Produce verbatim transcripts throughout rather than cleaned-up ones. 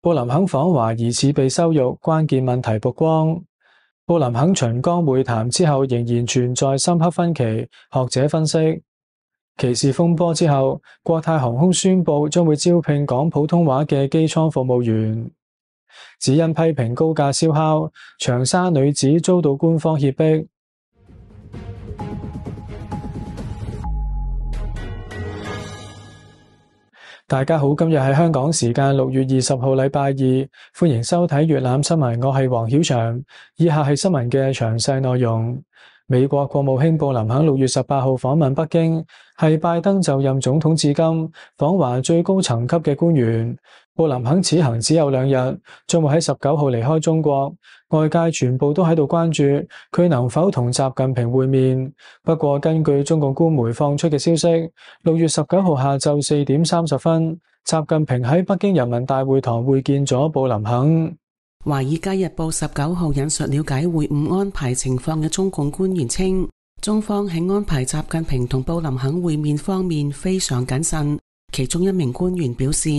布林肯訪華疑似被羞辱，關鍵問題曝光。布林肯秦剛會談之後仍然存在深刻分歧，學者分析，歧視風波之後，國泰航空宣布將會招聘講普通話嘅機艙服務員，只因批評高價燒烤，長沙女子遭到官方脅迫。大家好，今日係香港時間六月二十號禮拜二，歡迎收睇粵覽新聞，我係黃曉翔。以下係新聞嘅詳細內容。美國國務卿布林肯六月十八號訪問北京，係拜登就任總統至今訪華最高層級嘅官員。布林肯此行只有兩日，將會喺十九號離開中國，外界全部都喺度關注佢能否同習近平會面。不過根據中共官媒放出嘅消息，六月十九號下晝四點三十分，習近平喺北京人民大會堂會見咗布林肯。華爾街日報十九號引述了解會晤安排情況嘅中共官員稱，中方喺安排習近平同布林肯會面方面非常謹慎。其中一名官員表示，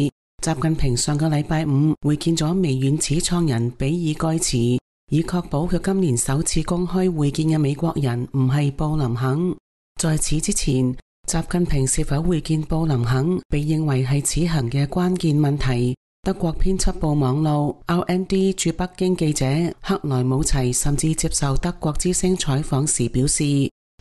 習近平上個禮拜五會見咗微軟始創人比爾蓋茨，以確保佢今年首次公開會見嘅美國人唔係布林肯。在此之前，習近平是否會見布林肯被認為係此行嘅關鍵問題。德國編輯部網路 R N D 駐北京記者克萊姆齊甚至接受德國之聲採訪時表示，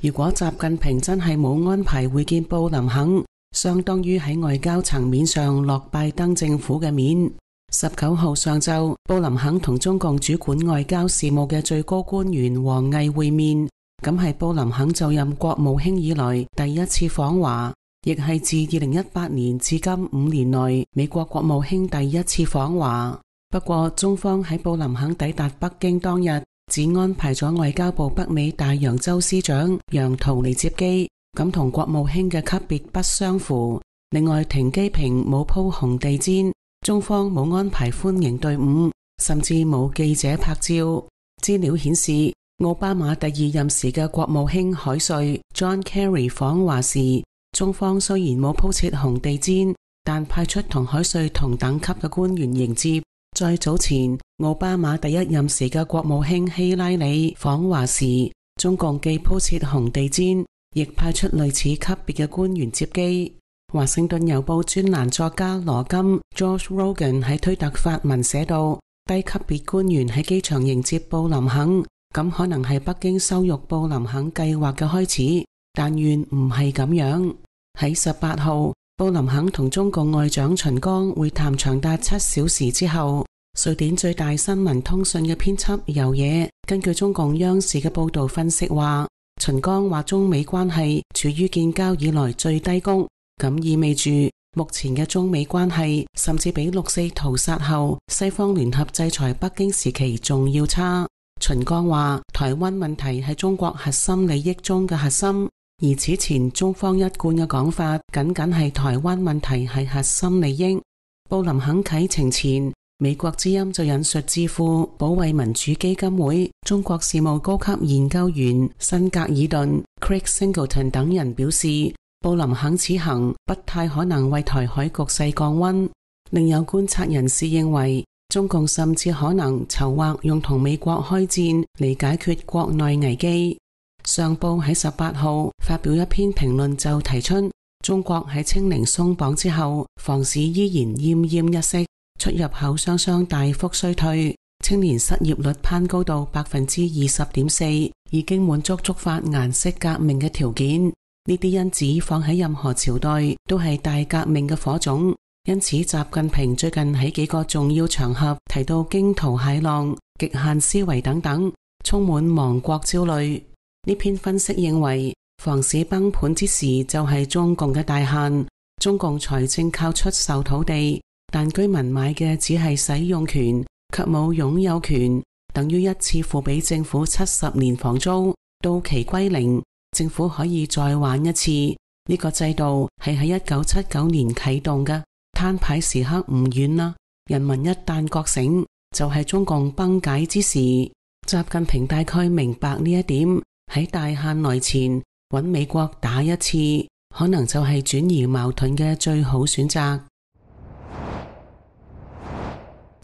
如果習近平真係冇安排會見布林肯，相當於喺外交層面上落拜登政府嘅面。十九號上晝，布林肯同中共主管外交事務嘅最高官員王毅會面，咁係布林肯就任國務卿以來第一次訪華，亦係自二零一八年至今五年內美國國務卿第一次訪華。不過中方喺布林肯抵達北京當日，只安排咗外交部北美大洋洲司長楊濤嚟接機，咁同國務卿嘅級別不相符。另外停機坪冇鋪紅地毯，中方冇安排歡迎隊伍，甚至冇記者拍照。資料顯示，奧巴馬第二任時嘅國務卿海瑞 John Kerry 訪華時，中方雖然冇鋪設紅地毯，但派出同海瑞同等級嘅官員迎接。再早前，奧巴馬第一任時嘅國務卿希拉里訪華時，中共既鋪設紅地毯，亦派出類似級別嘅官員接機。華盛頓郵報專欄作家羅金 George Rogan 喺推特發文寫道，低級別官員喺機場迎接布林肯，咁可能係北京羞辱布林肯計劃嘅開始，但願唔係咁樣。喺十八號，布林肯同中共外長秦剛會談長達七小時之後，瑞典最大新聞通訊嘅編輯游野根據中共央視嘅報道分析話，秦剛話中美關係處於建交以來最低谷，咁意味住目前嘅中美關係甚至比六四屠殺後西方聯合制裁北京時期仲要差。秦剛話，台灣問題係中國核心利益中嘅核心，而此前中方一貫嘅講法僅僅係台灣問題係核心利益。布林肯啟程前，美國之音就引述智庫保衛民主基金會中國事務高級研究員辛格爾頓 Craig Singleton 等人表示，布林肯此行不太可能為台海局勢降溫。另有觀察人士認為，中共甚至可能籌劃用同美國開戰嚟解決國內危機。上報喺十八號發表一篇評論，就提出中國喺清零鬆綁之後，房市依然奄奄一息，出入口雙雙大幅衰退，青年失業率攀高到百分之二十點四，已經滿足觸發顏色革命嘅條件。呢啲因子放喺任何朝代都係大革命嘅火種，因此習近平最近喺幾個重要場合提到驚濤駭浪、極限思維等等，充滿亡國焦慮。呢篇分析認為，房市崩盤之時就係中共嘅大限，中共財政靠出售土地，但居民買嘅只係使用權，卻冇擁有權，等於一次付俾政府七十年房租，到期歸零，政府可以再玩一次。呢、這個制度係喺一九七九年啟動嘅，攤牌時刻唔遠啦。人民一旦覺醒，就係、是、中共崩解之時。習近平大概明白呢一點。喺大限來前揾美國打一次，可能就係轉移矛盾嘅最好選擇。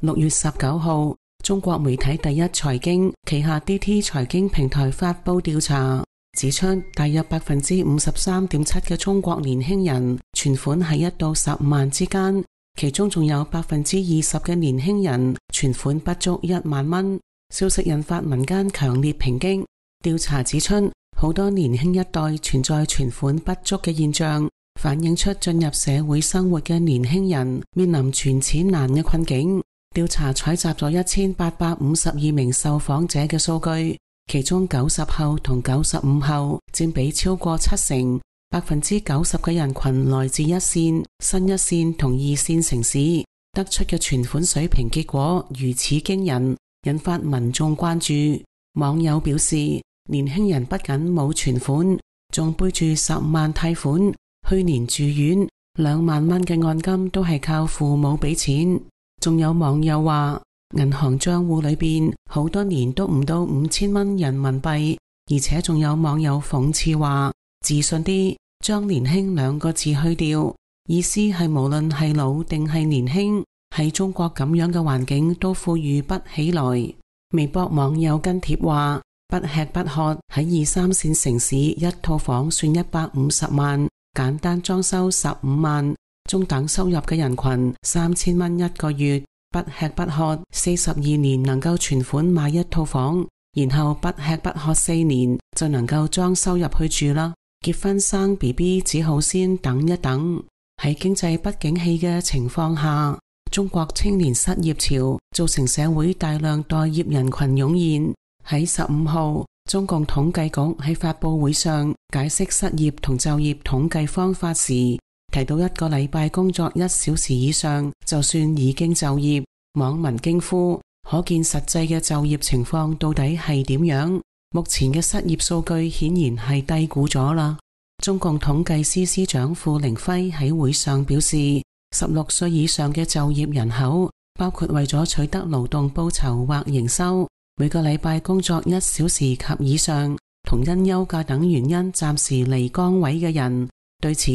六月十九號，中國媒體第一財經旗下 D T 財經平台發佈調查，指出大約百分之五十三點七嘅中國年輕人存款喺一到十五萬之間，其中仲有百分之二十嘅年輕人存款不足一萬蚊。消息引發民間強烈抨擊。調查指出，好多年輕一代存在存款不足嘅現象，反映出進入社會生活嘅年輕人面臨存錢難嘅困境。調查採集咗一千八百五十二名受訪者嘅數據，其中九十後同九十五後佔比超過七成，百分之九十嘅人群來自一線、新一線同二線城市，得出嘅存款水平結果如此驚人，引發民眾關注。網友表示，年輕人不僅冇存款，仲背住十萬貸款，去年住院兩萬蚊嘅按金都係靠父母俾錢。仲有網友話，銀行賬戶裏邊好多年都唔到五千蚊人民幣，而且仲有網友諷刺話，自信啲，將年輕兩個字去掉，意思係無論係老定係年輕，喺中國咁樣嘅環境都富裕不起來。微博網友跟帖話，不吃不喝喺二三線城市一套房算一百五十萬，簡單裝修十五萬，中等收入嘅人群三千蚊一個月，不吃不喝四十二年能夠存款買一套房，然後不吃不喝四年就能夠裝修入去住啦。結婚生 B B 只好先等一等。喺經濟不景氣嘅情況下，中國青年失業潮造成社會大量待業人群湧現。喺十五號，中共統計局喺發佈會上解釋失業同就業統計方法時，提到一個禮拜工作一小時以上就算已經就業。網民驚呼，可見實際嘅就業情況到底係點樣？目前嘅失業數據顯然係低估咗啦。中共統計司司長傅凌輝喺會上表示，十六歲以上嘅就業人口，包括為咗取得勞動報酬或營收，每個禮拜工作一小時及以上，同因休假等原因暫時離崗位嘅人。對此，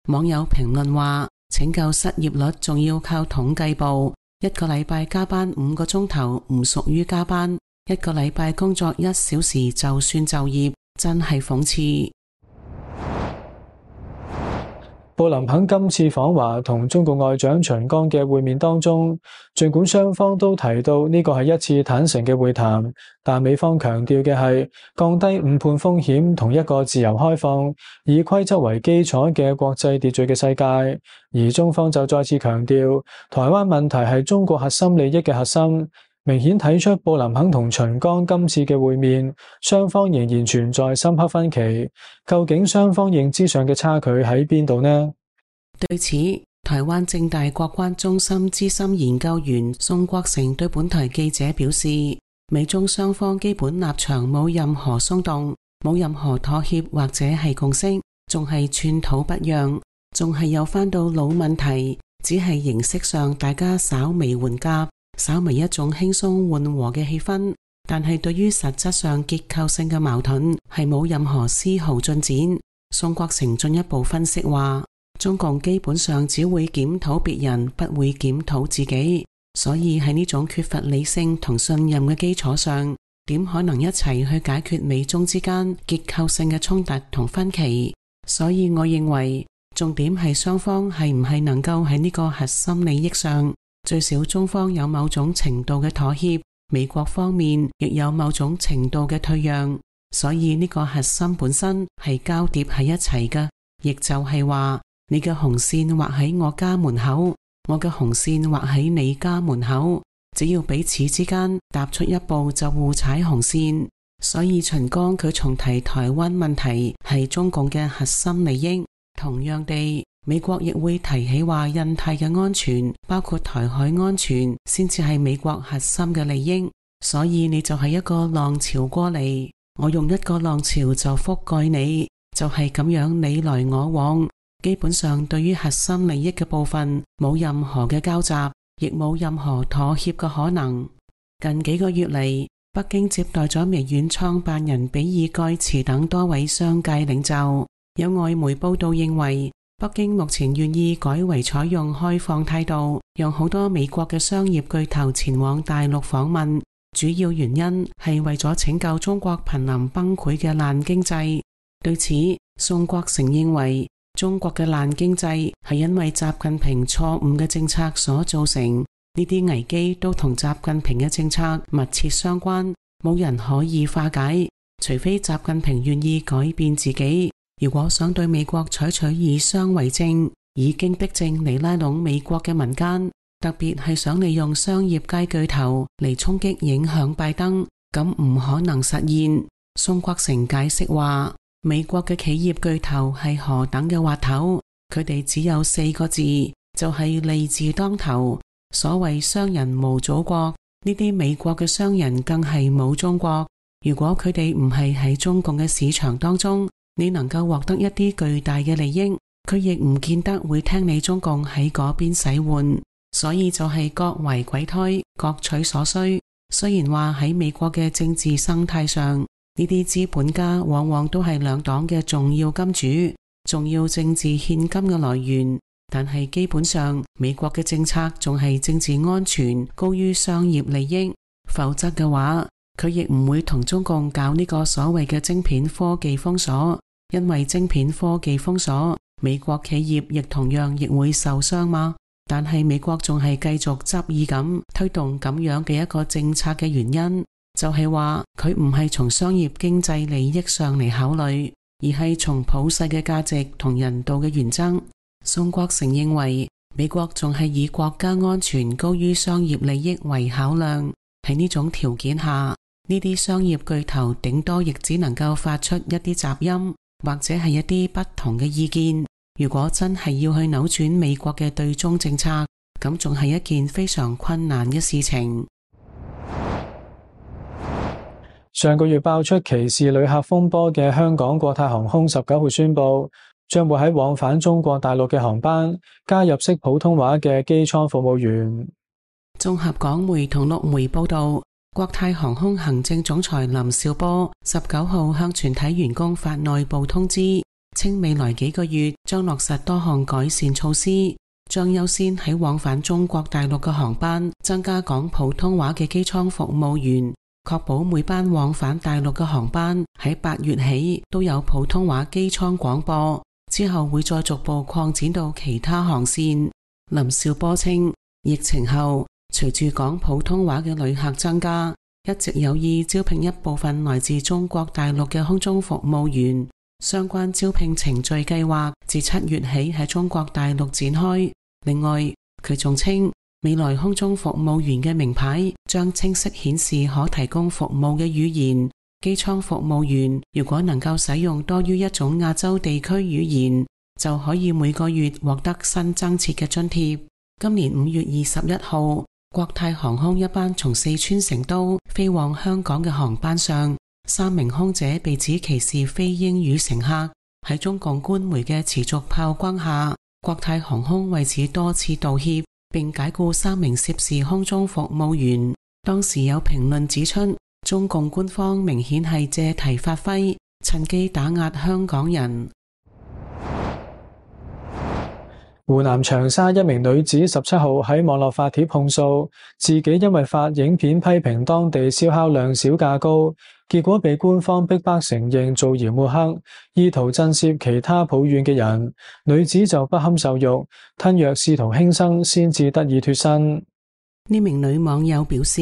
網友評論話，拯救失業率仲要靠統計部，一個禮拜加班五個鐘頭唔屬於加班，一個禮拜工作一小時就算就業，真係諷刺。布林肯今次訪華同中國外長秦剛嘅會面當中，儘管雙方都提到呢個係一次坦誠嘅會談，但美方強調嘅係降低誤判風險同一個自由開放、以規則為基礎嘅國際秩序嘅世界，而中方就再次強調台灣問題係中國核心利益嘅核心。明顯睇出布林肯同秦剛今次嘅會面，雙方仍然存在深刻分歧。究竟雙方認知上嘅差距喺邊度呢？對此，台灣政大國關中心資深研究員宋國成對本台記者表示，美中雙方基本立場冇任何鬆動，冇任何妥協或者係共識，仲係寸土不讓，仲係有返到老問題，只係形式上大家稍微緩夾，稍微一種輕鬆緩和嘅氣氛，但係對於實質上結構性嘅矛盾係冇任何絲毫進展。宋國成進一步分析話，中共基本上只會檢討別人，不會檢討自己，所以喺呢種缺乏理性同信任嘅基礎上，點可能一齊去解決美中之間結構性嘅衝突同分歧？所以我認為重點係雙方係唔係能夠喺呢個核心利益上，最少中方有某種程度嘅妥協，美國方面亦有某種程度嘅退讓，所以呢個核心本身係交疊喺一齊嘅，亦就係話你嘅紅線畫喺我家門口，我嘅紅線畫喺你家門口，只要彼此之間踏出一步就互踩紅線。所以秦剛佢重提台灣問題係中共嘅核心利益，同樣地美國亦會提起話印太嘅安全，包括台海安全，先至係美國核心嘅利益。所以你就係一個浪潮過嚟，我用一個浪潮就覆蓋你，就係咁樣你來我往。基本上對於核心利益嘅部分冇任何嘅交集，亦冇任何妥協嘅可能。近幾個月嚟，北京接待咗微軟創辦人比爾蓋茨等多位商界領袖。有外媒報道認為，北京目前願意改為採用開放態度，讓好多美國嘅商業巨頭前往大陸訪問，主要原因係為咗拯救中國瀕臨崩潰嘅爛經濟。對此，宋國成認為中國嘅爛經濟係因為習近平錯誤嘅政策所造成，呢啲危機都同習近平嘅政策密切相關，冇人可以化解，除非習近平願意改變自己。如果想對美國採取以商為政、以經逼政嚟拉攏美國嘅民間，特別係想利用商業界巨頭嚟衝擊影響拜登，咁唔可能實現。宋國成解釋話，美國嘅企業巨頭係何等嘅滑頭，佢哋只有四個字，就係利字當頭。所謂商人無祖國，呢啲美國嘅商人更係冇中國。如果佢哋唔係喺中共嘅市場當中，你能夠獲得一啲巨大嘅利益，佢亦唔見得會聽你中共喺嗰邊使喚。所以就係各為鬼胎，各取所需。雖然話喺美國嘅政治生態上，呢啲資本家往往都係兩黨嘅重要金主，重要政治獻金嘅來源，但係基本上美國嘅政策仲係政治安全高於商業利益，否則嘅話佢亦唔會同中共搞呢個所謂嘅晶片科技封鎖。因為晶片科技封鎖，美國企業亦同樣亦會受傷嘛。但係美國仲係繼續執意咁推動咁樣嘅一個政策嘅原因，就係話佢唔係從商業經濟利益上嚟考慮，而係從普世嘅價值同人道嘅原則。宋國成認為，美國仲係以國家安全高於商業利益為考量。喺呢種條件下，呢啲商業巨頭頂多亦只能夠發出一啲雜音，或者係一啲不同嘅意見。如果真係要去扭轉美國嘅對中政策，咁仲係一件非常困難嘅事情。上個月爆出歧視旅客風波嘅香港國泰航空十九號宣布，將會喺往返中國大陸嘅航班加入識普通話嘅機艙服務員。綜合港媒同陸媒報道，國泰航空行政總裁林紹波十九號向全體員工發內部通知，稱未來幾個月將落實多項改善措施，將優先喺往返中國大陸嘅航班增加講普通話嘅機艙服務員，確保每班往返大陸嘅航班喺八月起都有普通話機艙廣播，之後會再逐步擴展到其他航線。林紹波稱，疫情後隨住講普通話嘅旅客增加，一直有意招聘一部分來自中國大陸嘅空中服務員。相關招聘程序計劃自七月起喺中國大陸展開。另外，佢仲稱未來空中服務員嘅名牌將清晰顯示可提供服務嘅語言。機艙服務員如果能夠使用多於一種亞洲地區語言，就可以每個月獲得新增設嘅津貼。今年五月二十一號，國泰航空一班從四川成都飛往香港嘅航班上，三名空姐被指歧視非英語乘客。喺中共官媒嘅持續炮轟下，國泰航空為此多次道歉，並解僱三名涉事空中服務員。當時有評論指出，中共官方明顯係借題發揮，趁機打壓香港人。湖南長沙一名女子十七號喺網絡發帖控訴，自己因為發影片批評當地燒烤量少價高，結果被官方逼迫承認造謠抹黑，意圖震懾其他抱怨嘅人。女子就不堪受辱，吞藥試圖輕生，先至得以脫身。呢名女網友表示，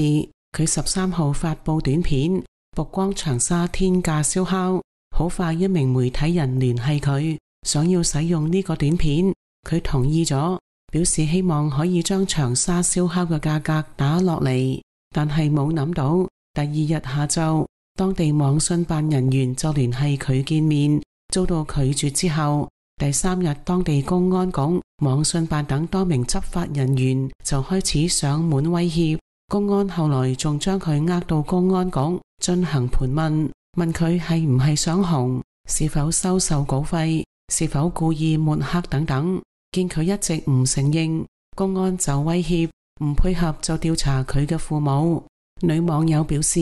佢十三號發佈短片，曝光長沙天價燒烤。好快一名媒體人聯繫佢，想要使用呢個短片。佢同意咗，表示希望可以將長沙燒烤嘅價格打落嚟，但係冇諗到第二日下晝，當地網信辦人員就聯繫佢見面，遭到拒絕之後，第三日當地公安局、網信辦等多名執法人員就開始上門威脅。公安後來仲將佢呃到公安局進行盤問，問佢係唔係想紅，是否收受稿費，是否故意抹黑等等。見佢一直唔承認，公安就威脅唔配合就調查佢嘅父母。女網友表示，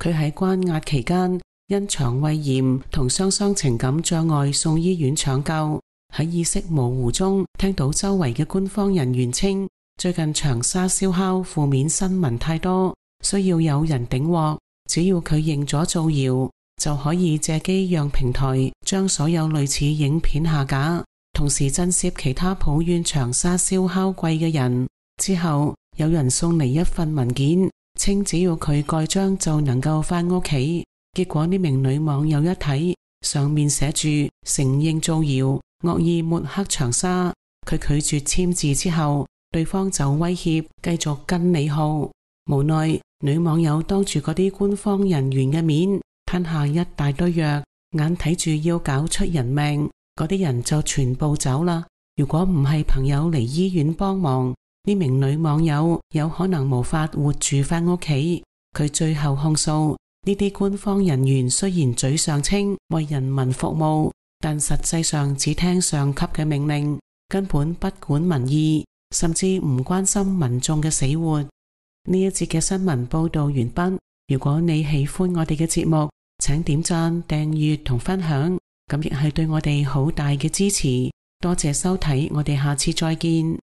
佢喺關押期間因腸胃炎同雙雙情感障礙送醫院搶救，喺意識模糊中聽到周圍嘅官方人員稱，最近長沙燒烤負面新聞太多，需要有人頂鑊，只要佢認咗造謠，就可以借機讓平台將所有類似影片下架，同時震懾其他抱怨長沙燒烤貴嘅人。之後有人送嚟一份文件，稱只要佢蓋章就能夠返屋企。結果呢名女網友一睇，上面寫住承認造謠，惡意抹黑長沙。佢拒絕簽字之後，對方就威脅繼續跟你耗。無奈女網友當住嗰啲官方人員嘅面吞下一大堆藥，眼睇住要搞出人命，嗰啲人就全部走啦。如果唔係朋友嚟醫院幫忙，呢名女網友有可能無法活住返屋企。佢最後控訴，呢啲官方人員雖然嘴上稱為人民服務，但實際上只聽上級嘅命令，根本不管民意，甚至唔關心民眾嘅死活。呢一節嘅新聞報道完畢。如果你喜歡我哋嘅節目，請點讚、訂閱同分享，咁亦係對我哋好大嘅支持。多謝收睇，我哋下次再見。